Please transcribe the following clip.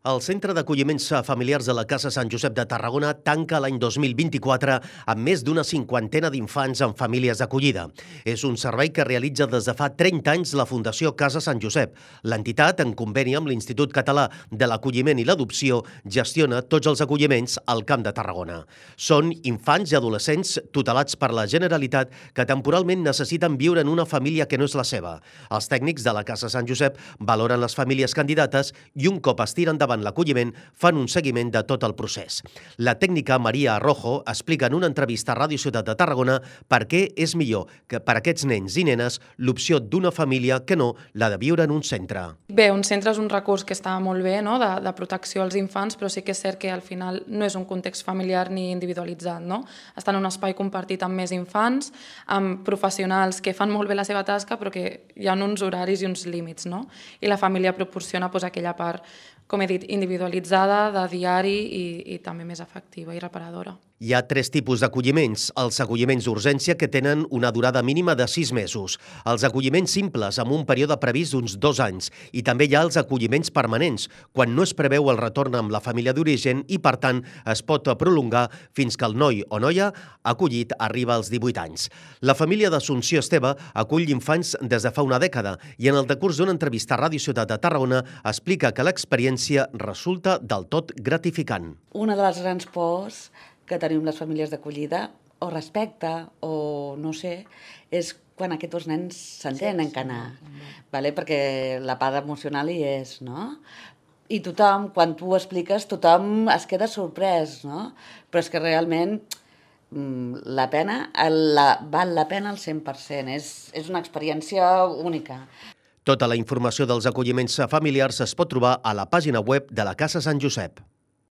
El Centre d'Acolliments Familiars de la Casa Sant Josep de Tarragona tanca l'any 2024 amb més d'una cinquantena d'infants en famílies d'acollida. És un servei que realitza des de fa 30 anys la Fundació Casa Sant Josep. L'entitat, en conveni amb l'Institut Català de l'Acolliment i l'Adopció, gestiona tots els acolliments al Camp de Tarragona. Són infants i adolescents tutelats per la Generalitat que temporalment necessiten viure en una família que no és la seva. Els tècnics de la Casa Sant Josep valoren les famílies candidates i un cop es tiren endavant l'acolliment, fan un seguiment de tot el procés. La tècnica Maria Arrojo explica en una entrevista a Ràdio Ciutat de Tarragona per què és millor que per a aquests nens i nenes l'opció d'una família que no la de viure en un centre. Bé, un centre és un recurs que està molt bé, no? de protecció als infants, però sí que és cert que al final no és un context familiar ni individualitzat. No? Està en un espai compartit amb més infants, amb professionals que fan molt bé la seva tasca, però que hi ha uns horaris i uns límits. No? I la família proporciona aquella part, com he dit, individualitzada, de diari i també més efectiva i reparadora. Hi ha 3 tipus d'acolliments. Els acolliments d'urgència, que tenen una durada mínima de 6 mesos. Els acolliments simples, amb un període previst d'uns 2 anys. I també hi ha els acolliments permanents, quan no es preveu el retorn amb la família d'origen i, per tant, es pot prolongar fins que el noi o noia acollit arriba als 18 anys. La família d'Assumpció Esteve acull infants des de fa una dècada i en el decurs d'una entrevista a Ràdio Ciutat de Tarragona explica que l'experiència resulta del tot gratificant. Una de les grans pors que tenim les famílies d'acollida, o respecte, o no sé, és quan aquests dos nens s'entenen que anar, perquè la part emocional hi és, no? I tothom, quan tu ho expliques, tothom es queda sorprès, no? Però és que realment la pena, val la pena al 100%, és una experiència única. Tota la informació dels acolliments familiars es pot trobar a la pàgina web de la Casa Sant Josep.